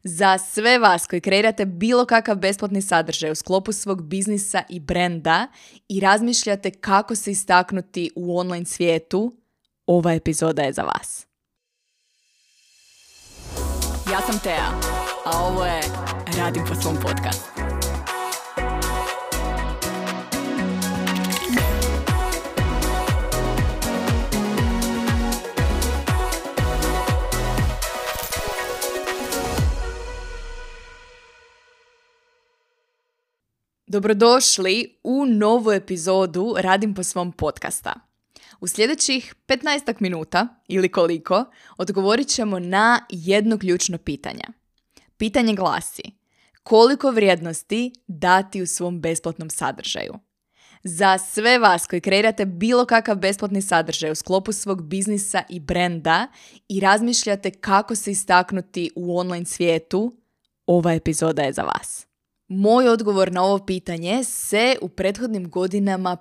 Za sve vas koji kreirate bilo kakav besplatni sadržaj u sklopu svog biznisa i brenda i razmišljate kako se istaknuti u online svijetu, ova epizoda je za vas. Ja sam Tea, a ovo je Radim po svom podcastu. Dobrodošli u novu epizodu Radim po svom podcasta. U sljedećih 15 minuta ili koliko odgovorit ćemo na jedno ključno pitanje. Pitanje glasi: koliko vrijednosti dati u svom besplatnom sadržaju? Za sve vas koji kreirate bilo kakav besplatni sadržaj u sklopu svog biznisa i brenda i razmišljate kako se istaknuti u online svijetu, ova epizoda je za vas. Moj odgovor na ovo pitanje se u prethodnim godinama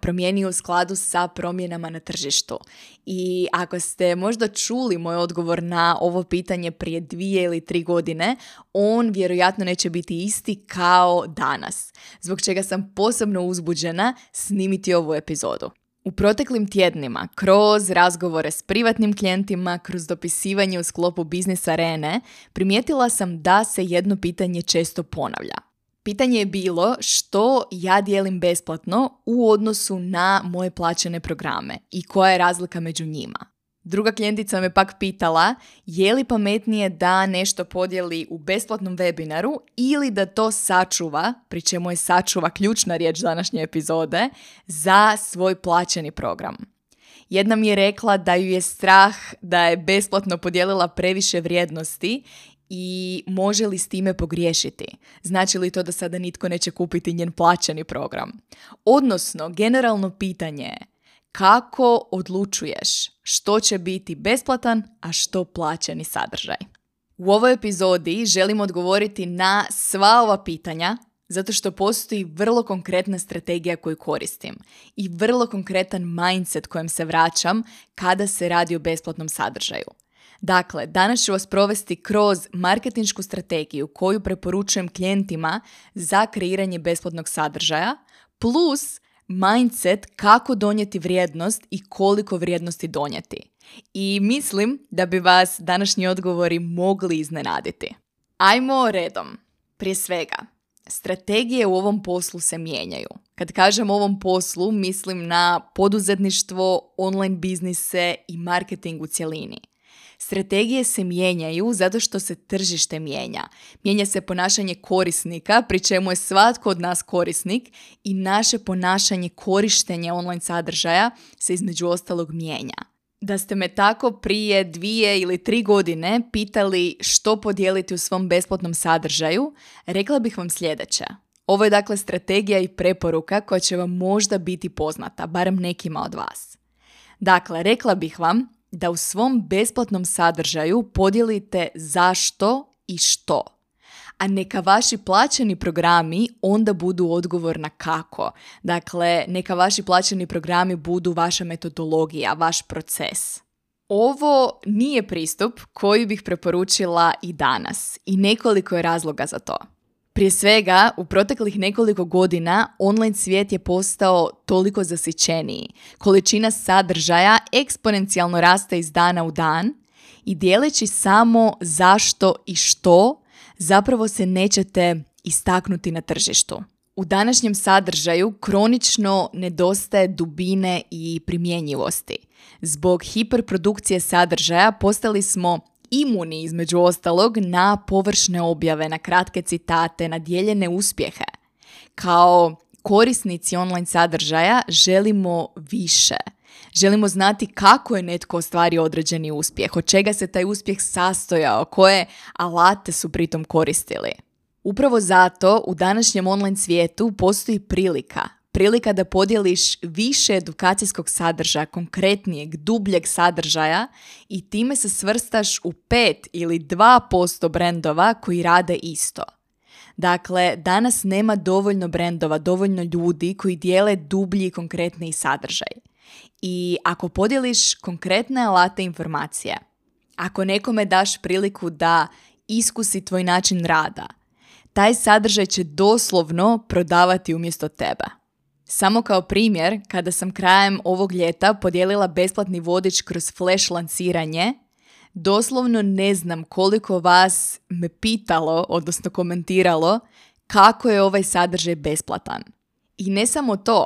promijenio u skladu sa promjenama na tržištu. I ako ste možda čuli moj odgovor na ovo pitanje prije 2 ili 3 godine, on vjerojatno neće biti isti kao danas, zbog čega sam posebno uzbuđena snimiti ovu epizodu. U proteklim tjednima, kroz razgovore s privatnim klijentima, kroz dopisivanje u sklopu biznis arene, primijetila sam da se jedno pitanje često ponavlja. Pitanje je bilo što ja dijelim besplatno u odnosu na moje plaćene programe i koja je razlika među njima. Druga klijentica me pak pitala je li pametnije da nešto podijeli u besplatnom webinaru ili da to sačuva, pri čemu je sačuva ključna riječ današnje epizode, za svoj plaćeni program. Jedna mi je rekla da ju je strah da je besplatno podijelila previše vrijednosti i može li s time pogriješiti? Znači li to da sada nitko neće kupiti njen plaćeni program? Odnosno, generalno pitanje je: kako odlučuješ što će biti besplatan, a što plaćeni sadržaj? U ovoj epizodi želim odgovoriti na sva ova pitanja, zato što postoji vrlo konkretna strategija koju koristim i vrlo konkretan mindset kojem se vraćam kada se radi o besplatnom sadržaju. Dakle, danas ću vas provesti kroz marketinšku strategiju koju preporučujem klijentima za kreiranje besplatnog sadržaja, plus mindset kako donijeti vrijednost i koliko vrijednosti donijeti. I mislim da bi vas današnji odgovori mogli iznenaditi. Ajmo redom. Prije svega, strategije u ovom poslu se mijenjaju. Kad kažem ovom poslu, mislim na poduzetništvo, online biznise i marketing u cjelini. Strategije se mijenjaju zato što se tržište mijenja. Mijenja se ponašanje korisnika, pri čemu je svatko od nas korisnik i naše ponašanje korištenja online sadržaja se između ostalog mijenja. Da ste me tako prije 2 ili 3 godine pitali što podijeliti u svom besplatnom sadržaju, rekla bih vam sljedeće. Ovo je dakle strategija i preporuka koja će vam možda biti poznata, barem nekima od vas. Dakle, rekla bih vam da u svom besplatnom sadržaju podijelite zašto i što. A neka vaši plaćeni programi onda budu odgovor na kako. Dakle, neka vaši plaćeni programi budu vaša metodologija, vaš proces. Ovo nije pristup koji bih preporučila i danas i nekoliko je razloga za to. Prije svega, u proteklih nekoliko godina online svijet je postao toliko zasićeniji. Količina sadržaja eksponencijalno raste iz dana u dan i dijeleći samo zašto i što, zapravo se nećete istaknuti na tržištu. U današnjem sadržaju kronično nedostaje dubine i primjenjivosti. Zbog hiperprodukcije sadržaja postali smo imuni, između ostalog, na površne objave, na kratke citate, na dijeljene uspjehe. Kao korisnici online sadržaja želimo više. Želimo znati kako je netko ostvario određeni uspjeh, od čega se taj uspjeh sastojao, koje alate su pritom koristili. Upravo zato u današnjem online svijetu postoji prilika da podijeliš više edukacijskog sadržaja, konkretnijeg, dubljeg sadržaja i time se svrstaš u 5 ili 2% brendova koji rade isto. Dakle, danas nema dovoljno brendova, dovoljno ljudi koji dijele dublji i konkretniji sadržaj. I ako podijeliš konkretne alate informacije, ako nekome daš priliku da iskusi tvoj način rada. Taj sadržaj će doslovno prodavati umjesto tebe. Samo kao primjer, kada sam krajem ovog ljeta podijelila besplatni vodič kroz flash lanciranje, doslovno ne znam koliko vas me pitalo, odnosno komentiralo, kako je ovaj sadržaj besplatan. I ne samo to,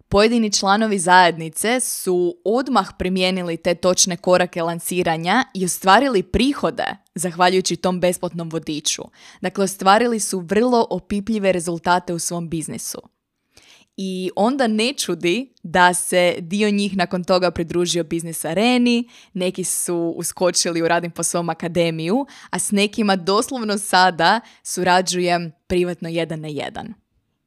pojedini članovi zajednice su odmah primijenili te točne korake lanciranja i ostvarili prihode zahvaljujući tom besplatnom vodiču. Dakle, ostvarili su vrlo opipljive rezultate u svom biznisu. I onda ne čudi da se dio njih nakon toga pridružio Biznis Areni, neki su uskočili u Radim po svom akademiju, a s nekima doslovno sada surađujem privatno 1-1.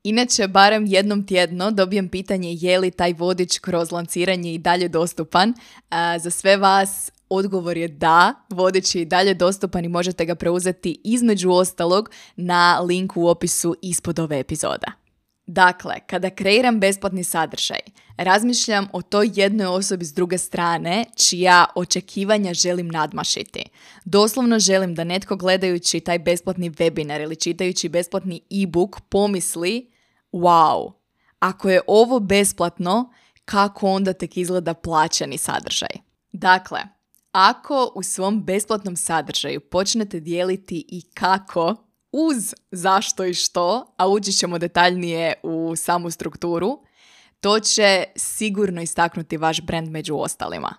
Inače, barem jednom tjedno dobijem pitanje je li taj vodič kroz lanciranje i dalje dostupan. Za sve vas odgovor je da, vodič je i dalje dostupan i možete ga preuzeti između ostalog na linku u opisu ispod ove epizode. Dakle, kada kreiram besplatni sadržaj, razmišljam o toj jednoj osobi s druge strane čija očekivanja želim nadmašiti. Doslovno želim da netko gledajući taj besplatni webinar ili čitajući besplatni e-book pomisli wow, ako je ovo besplatno, kako onda tek izgleda plaćeni sadržaj? Dakle, ako u svom besplatnom sadržaju počnete dijeliti i kako, uz zašto i što, a ući ćemo detaljnije u samu strukturu, to će sigurno istaknuti vaš brand među ostalima.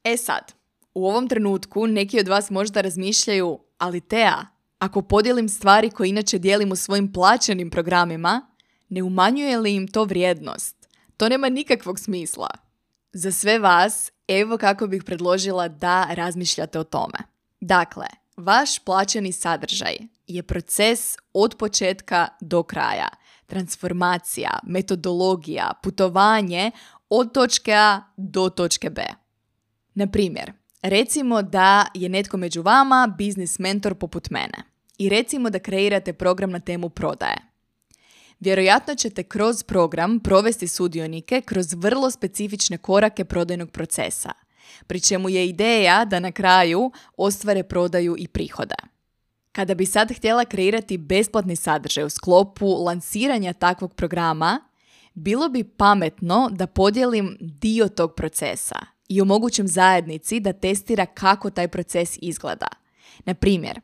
E sad, u ovom trenutku neki od vas možda razmišljaju, ali Tea, ako podijelim stvari koje inače dijelim u svojim plaćenim programima, ne umanjuje li im to vrijednost? To nema nikakvog smisla. Za sve vas, evo kako bih predložila da razmišljate o tome. Dakle, vaš plaćeni sadržaj je proces od početka do kraja. Transformacija, metodologija, putovanje od točke A do točke B. Na primjer, recimo da je netko među vama biznis mentor poput mene i recimo da kreirate program na temu prodaje. Vjerojatno ćete kroz program provesti sudionike kroz vrlo specifične korake prodajnog procesa, pri čemu je ideja da na kraju ostvare prodaju i prihode. Kada bi sad htjela kreirati besplatni sadržaj u sklopu lansiranja takvog programa, bilo bi pametno da podijelim dio tog procesa i omogućim zajednici da testira kako taj proces izgleda. Na primjer,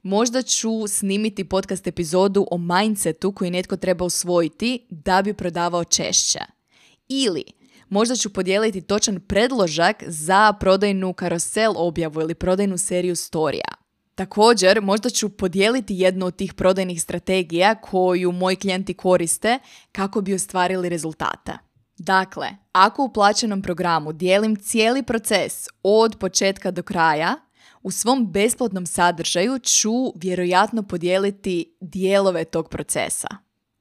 možda ću snimiti podcast epizodu o mindsetu koji netko treba usvojiti da bi prodavao češće. Ili možda ću podijeliti točan predložak za prodajnu karusel objavu ili prodajnu seriju storija. Također, možda ću podijeliti jednu od tih prodajnih strategija koju moji klijenti koriste kako bi ostvarili rezultate. Dakle, ako u plaćenom programu dijelim cijeli proces od početka do kraja, u svom besplatnom sadržaju ću vjerojatno podijeliti dijelove tog procesa.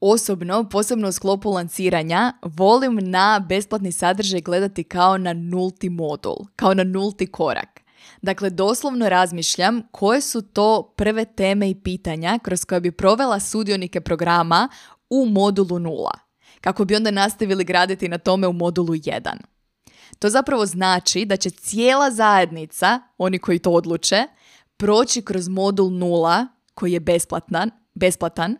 Osobno, posebno u sklopu lanciranja, volim na besplatni sadržaj gledati kao na nulti modul, kao na nulti korak. Dakle, doslovno razmišljam koje su to prve teme i pitanja kroz koje bi provela sudionike programa u modulu 0, kako bi onda nastavili graditi na tome u modulu 1. To zapravo znači da će cijela zajednica, oni koji to odluče, proći kroz modul 0 koji je besplatan,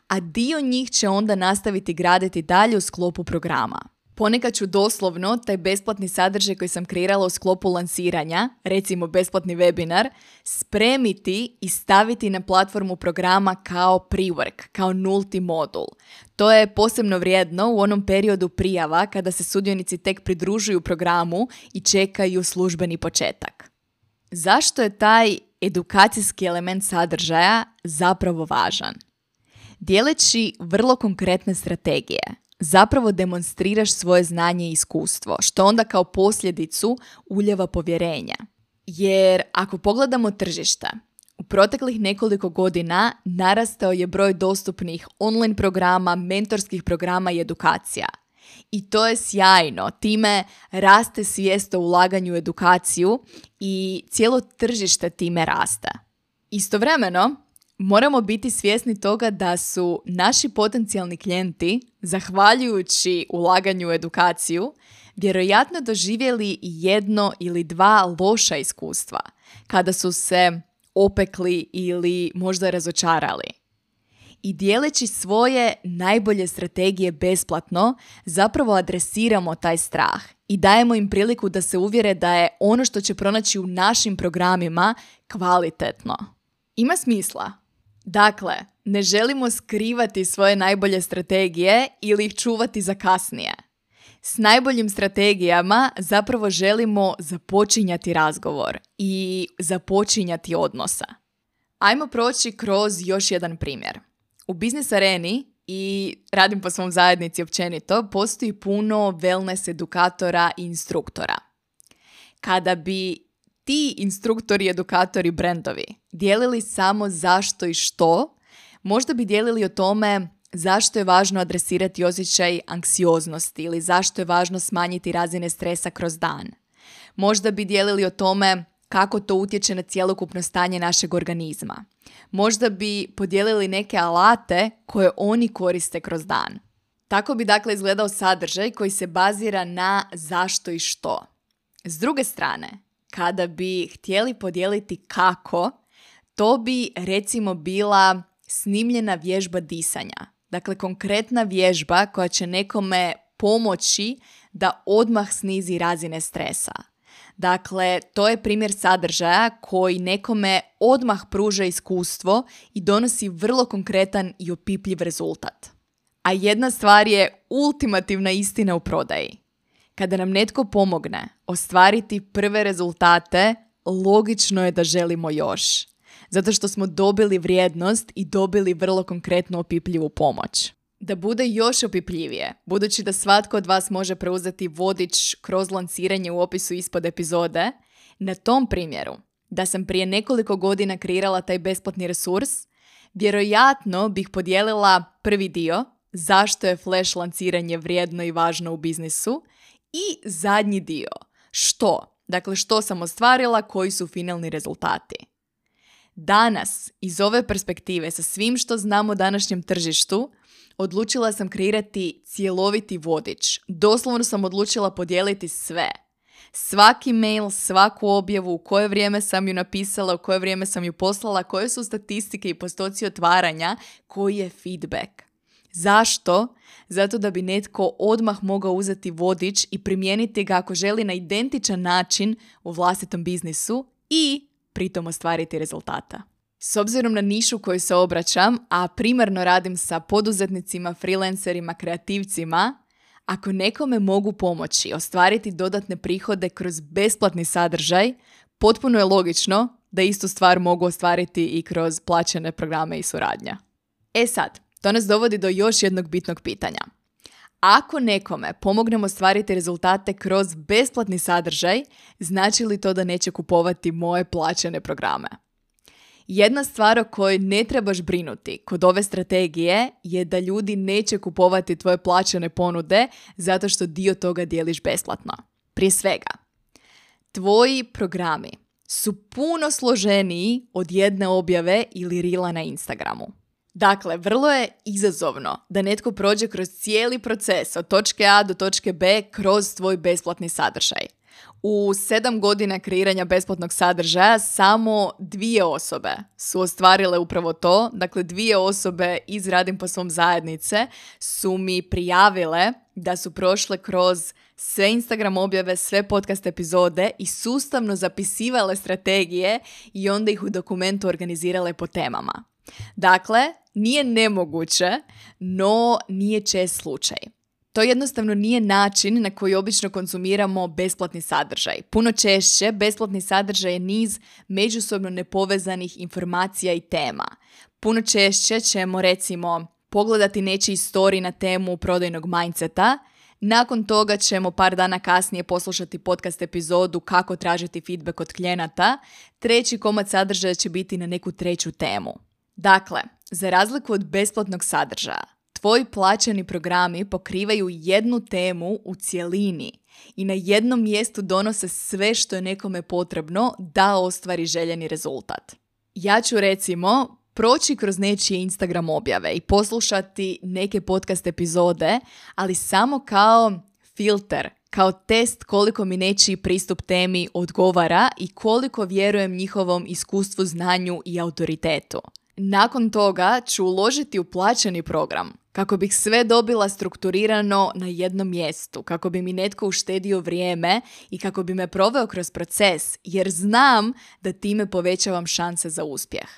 a dio njih će onda nastaviti graditi dalje u sklopu programa. Ponekad ću doslovno taj besplatni sadržaj koji sam kreirala u sklopu lansiranja, recimo besplatni webinar, spremiti i staviti na platformu programa kao pre-work, kao nulti modul. To je posebno vrijedno u onom periodu prijava kada se sudionici tek pridružuju programu i čekaju službeni početak. Zašto je taj edukacijski element sadržaja zapravo važan? Dijeleći vrlo konkretne strategije, zapravo demonstriraš svoje znanje i iskustvo, što onda kao posljedicu ulijeva povjerenja. Jer ako pogledamo tržište, u proteklih nekoliko godina narastao je broj dostupnih online programa, mentorskih programa i edukacija. I to je sjajno, time raste svijest o ulaganju u edukaciju i cijelo tržište time raste. Istovremeno, moramo biti svjesni toga da su naši potencijalni klijenti, zahvaljujući ulaganju u edukaciju, vjerojatno doživjeli 1 ili 2 loša iskustva, kada su se opekli ili možda razočarali. I dijeleći svoje najbolje strategije besplatno, zapravo adresiramo taj strah i dajemo im priliku da se uvjere da je ono što će pronaći u našim programima kvalitetno. Ima smisla. Dakle, ne želimo skrivati svoje najbolje strategije ili ih čuvati za kasnije. S najboljim strategijama zapravo želimo započinjati razgovor i započinjati odnosa. Ajmo proći kroz još jedan primjer. U biznis areni i radim po svom zajednici općenito, postoji puno wellness edukatora i instruktora. Kada bi ti instruktori, edukatori, brendovi dijelili samo zašto i što, možda bi dijelili o tome zašto je važno adresirati osjećaj anksioznosti ili zašto je važno smanjiti razine stresa kroz dan. Možda bi dijelili o tome kako to utječe na cjelokupno stanje našeg organizma. Možda bi podijelili neke alate koje oni koriste kroz dan. Tako bi dakle izgledao sadržaj koji se bazira na zašto i što. S druge strane, kada bi htjeli podijeliti kako, to bi recimo bila snimljena vježba disanja. Dakle, konkretna vježba koja će nekome pomoći da odmah snizi razine stresa. Dakle, to je primjer sadržaja koji nekome odmah pruža iskustvo i donosi vrlo konkretan i opipljiv rezultat. A jedna stvar je ultimativna istina u prodaji. Kada nam netko pomogne ostvariti prve rezultate, logično je da želimo još. Zato što smo dobili vrijednost i dobili vrlo konkretnu opipljivu pomoć. Da bude još opipljivije, budući da svatko od vas može preuzeti vodič kroz lanciranje u opisu ispod epizode, na tom primjeru, da sam prije nekoliko godina kreirala taj besplatni resurs, vjerojatno bih podijelila prvi dio, zašto je flash lanciranje vrijedno i važno u biznisu, i zadnji dio, što? Dakle, što sam ostvarila, koji su finalni rezultati. Danas, iz ove perspektive, sa svim što znam o današnjem tržištu, odlučila sam kreirati cjeloviti vodič. Doslovno sam odlučila podijeliti sve. Svaki mail, svaku objavu, u koje vrijeme sam ju napisala, u koje vrijeme sam ju poslala, koje su statistike i postoci otvaranja, koji je feedback. Zašto? Zato da bi netko odmah mogao uzeti vodič i primijeniti ga ako želi na identičan način u vlastitom biznisu i pritom ostvariti rezultata. S obzirom na nišu koju se obraćam, a primarno radim sa poduzetnicima, freelancerima, kreativcima, ako nekome mogu pomoći ostvariti dodatne prihode kroz besplatni sadržaj, potpuno je logično da istu stvar mogu ostvariti i kroz plaćene programe i suradnja. E sad, to nas dovodi do još jednog bitnog pitanja. Ako nekome pomognemo ostvariti rezultate kroz besplatni sadržaj, znači li to da neće kupovati moje plaćene programe? Jedna stvar o kojoj ne trebaš brinuti kod ove strategije je da ljudi neće kupovati tvoje plaćene ponude zato što dio toga dijeliš besplatno. Prije svega, tvoji programi su puno složeniji od jedne objave ili rila na Instagramu. Dakle, vrlo je izazovno da netko prođe kroz cijeli proces od točke A do točke B kroz tvoj besplatni sadržaj. U 7 godina kreiranja besplatnog sadržaja samo 2 osobe su ostvarile upravo to. Dakle, 2 osobe iz Radim po svom zajednice su mi prijavile da su prošle kroz sve Instagram objave, sve podcast epizode i sustavno zapisivale strategije i onda ih u dokumentu organizirale po temama. Dakle, nije nemoguće, no nije čest slučaj. To jednostavno nije način na koji obično konzumiramo besplatni sadržaj. Puno češće besplatni sadržaj je niz međusobno nepovezanih informacija i tema. Puno češće ćemo recimo pogledati nečiji story na temu prodajnog mindseta, nakon toga ćemo par dana kasnije poslušati podcast epizodu kako tražiti feedback od klijenata, treći komad sadržaja će biti na neku treću temu. Dakle, za razliku od besplatnog sadržaja, tvoji plaćeni programi pokrivaju jednu temu u cjelini i na jednom mjestu donose sve što je nekome potrebno da ostvari željeni rezultat. Ja ću recimo proći kroz nečije Instagram objave i poslušati neke podcast epizode, ali samo kao filter kao test koliko mi nečiji pristup temi odgovara i koliko vjerujem njihovom iskustvu, znanju i autoritetu. Nakon toga ću uložiti u plaćeni program kako bih sve dobila strukturirano na jednom mjestu, kako bi mi netko uštedio vrijeme i kako bi me proveo kroz proces, jer znam da time povećavam šanse za uspjeh.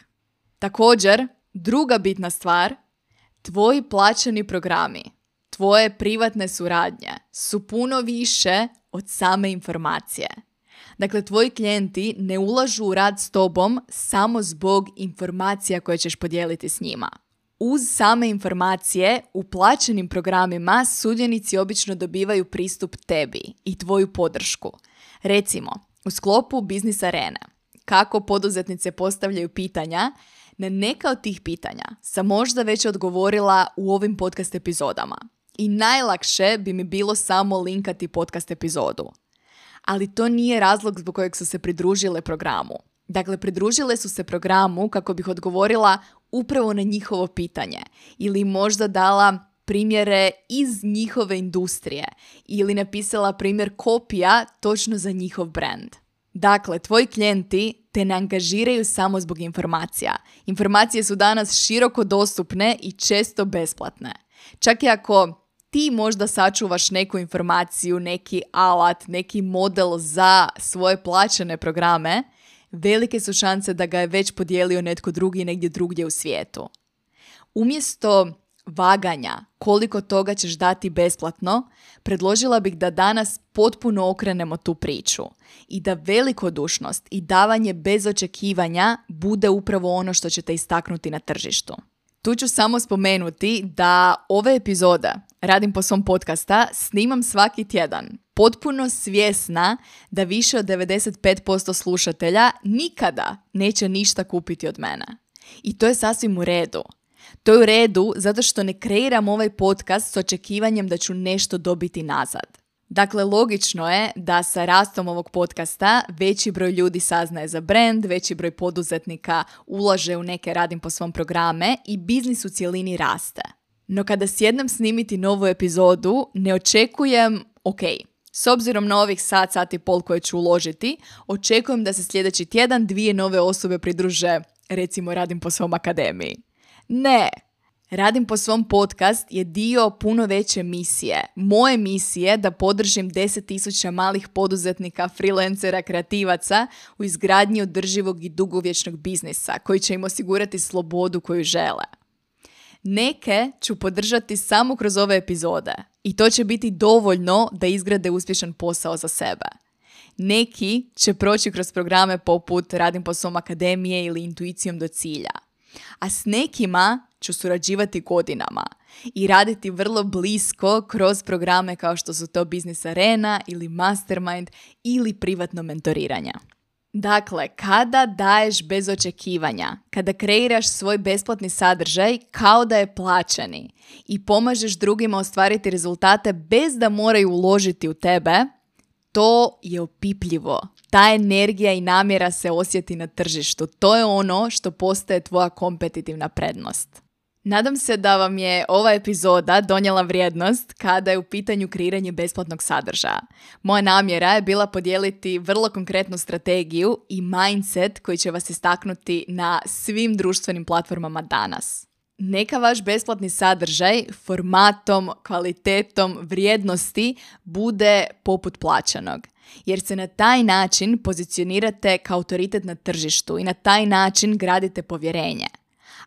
Također, druga bitna stvar, tvoji plaćeni programi, tvoje privatne suradnje su puno više od same informacije. Dakle, tvoji klijenti ne ulažu u rad s tobom samo zbog informacija koje ćeš podijeliti s njima. Uz same informacije, u plaćenim programima sudionici obično dobivaju pristup tebi i tvoju podršku. Recimo, u sklopu Biznis Arene, kako poduzetnice postavljaju pitanja, na neka od tih pitanja sam možda već odgovorila u ovim podcast epizodama. I najlakše bi mi bilo samo linkati podcast epizodu. Ali to nije razlog zbog kojeg su se pridružile programu. Dakle, pridružile su se programu kako bih odgovorila upravo na njihovo pitanje ili možda dala primjere iz njihove industrije ili napisala primjer kopija točno za njihov brand. Dakle, tvoji klijenti te ne angažiraju samo zbog informacija. Informacije su danas široko dostupne i često besplatne. Čak i ako ti možda sačuvaš neku informaciju, neki alat, neki model za svoje plaćene programe, velike su šanse da ga je već podijelio netko drugi negdje drugdje u svijetu. Umjesto vaganja koliko toga ćeš dati besplatno, predložila bih da danas potpuno okrenemo tu priču i da velikodušnost i davanje bez očekivanja bude upravo ono što će te istaknuti na tržištu. Tu ću samo spomenuti da ove epizode Radim po svom podcasta snimam svaki tjedan, potpuno svjesna da više od 95% slušatelja nikada neće ništa kupiti od mene. I to je sasvim u redu. To je u redu zato što ne kreiram ovaj podcast s očekivanjem da ću nešto dobiti nazad. Dakle, logično je da sa rastom ovog podcasta veći broj ljudi saznaje za brand, veći broj poduzetnika ulaže u neke Radim po svom programe i biznis u cjelini raste. No kada sjednem snimiti novu epizodu, ne očekujem, s obzirom na ovih sat i pol koje ću uložiti, očekujem da se sljedeći tjedan 2 nove osobe pridruže, recimo Radim po svom akademiji. Ne, Radim po svom podcast je dio puno veće misije. Moje misije da podržim 10.000 malih poduzetnika, freelancera, kreativaca u izgradnji održivog i dugovječnog biznisa koji će im osigurati slobodu koju žele. Neke ću podržati samo kroz ove epizode i to će biti dovoljno da izgrade uspješan posao za sebe. Neki će proći kroz programe poput Radim po svom akademije ili Intuicijom do cilja. A s nekima ću surađivati godinama i raditi vrlo blisko kroz programe kao što su to Biznis Arena ili Mastermind ili privatno mentoriranje. Dakle, kada daješ bez očekivanja, kada kreiraš svoj besplatni sadržaj kao da je plaćeni i pomažeš drugima ostvariti rezultate bez da moraju uložiti u tebe, to je opipljivo. Ta energija i namjera se osjeti na tržištu. To je ono što postaje tvoja kompetitivna prednost. Nadam se da vam je ova epizoda donijela vrijednost kada je u pitanju kreiranje besplatnog sadržaja. Moja namjera je bila podijeliti vrlo konkretnu strategiju i mindset koji će vas istaknuti na svim društvenim platformama danas. Neka vaš besplatni sadržaj formatom, kvalitetom, vrijednosti bude poput plaćenog. Jer se na taj način pozicionirate kao autoritet na tržištu i na taj način gradite povjerenje.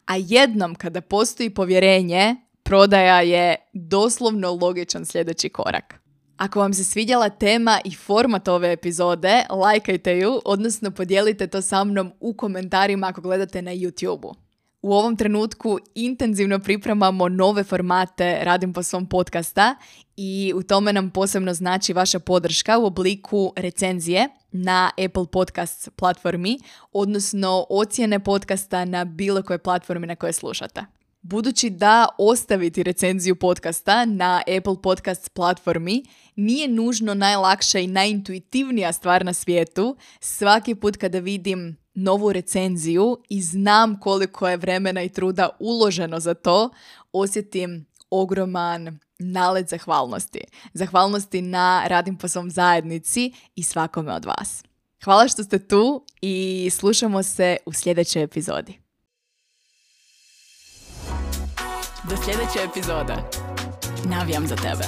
A jednom kada postoji povjerenje, prodaja je doslovno logičan sljedeći korak. Ako vam se svidjela tema i format ove epizode, lajkajte ju, odnosno podijelite to sa mnom u komentarima ako gledate na YouTube-u. U ovom trenutku intenzivno pripremamo nove formate Radim po svom podcasta i u tome nam posebno znači vaša podrška u obliku recenzije na Apple Podcasts platformi, odnosno ocjene podcasta na bilo kojoj platformi na kojoj slušate. Budući da ostaviti recenziju podcasta na Apple Podcasts platformi nije nužno najlakša i najintuitivnija stvar na svijetu, svaki put kada vidim novu recenziju i znam koliko je vremena i truda uloženo za to, osjetim ogroman nalet zahvalnosti. Zahvalnosti na Radim po svom zajednici i svakome od vas. Hvala što ste tu i slušamo se u sljedećoj epizodi. Do sljedeće epizode. Navijam za tebe.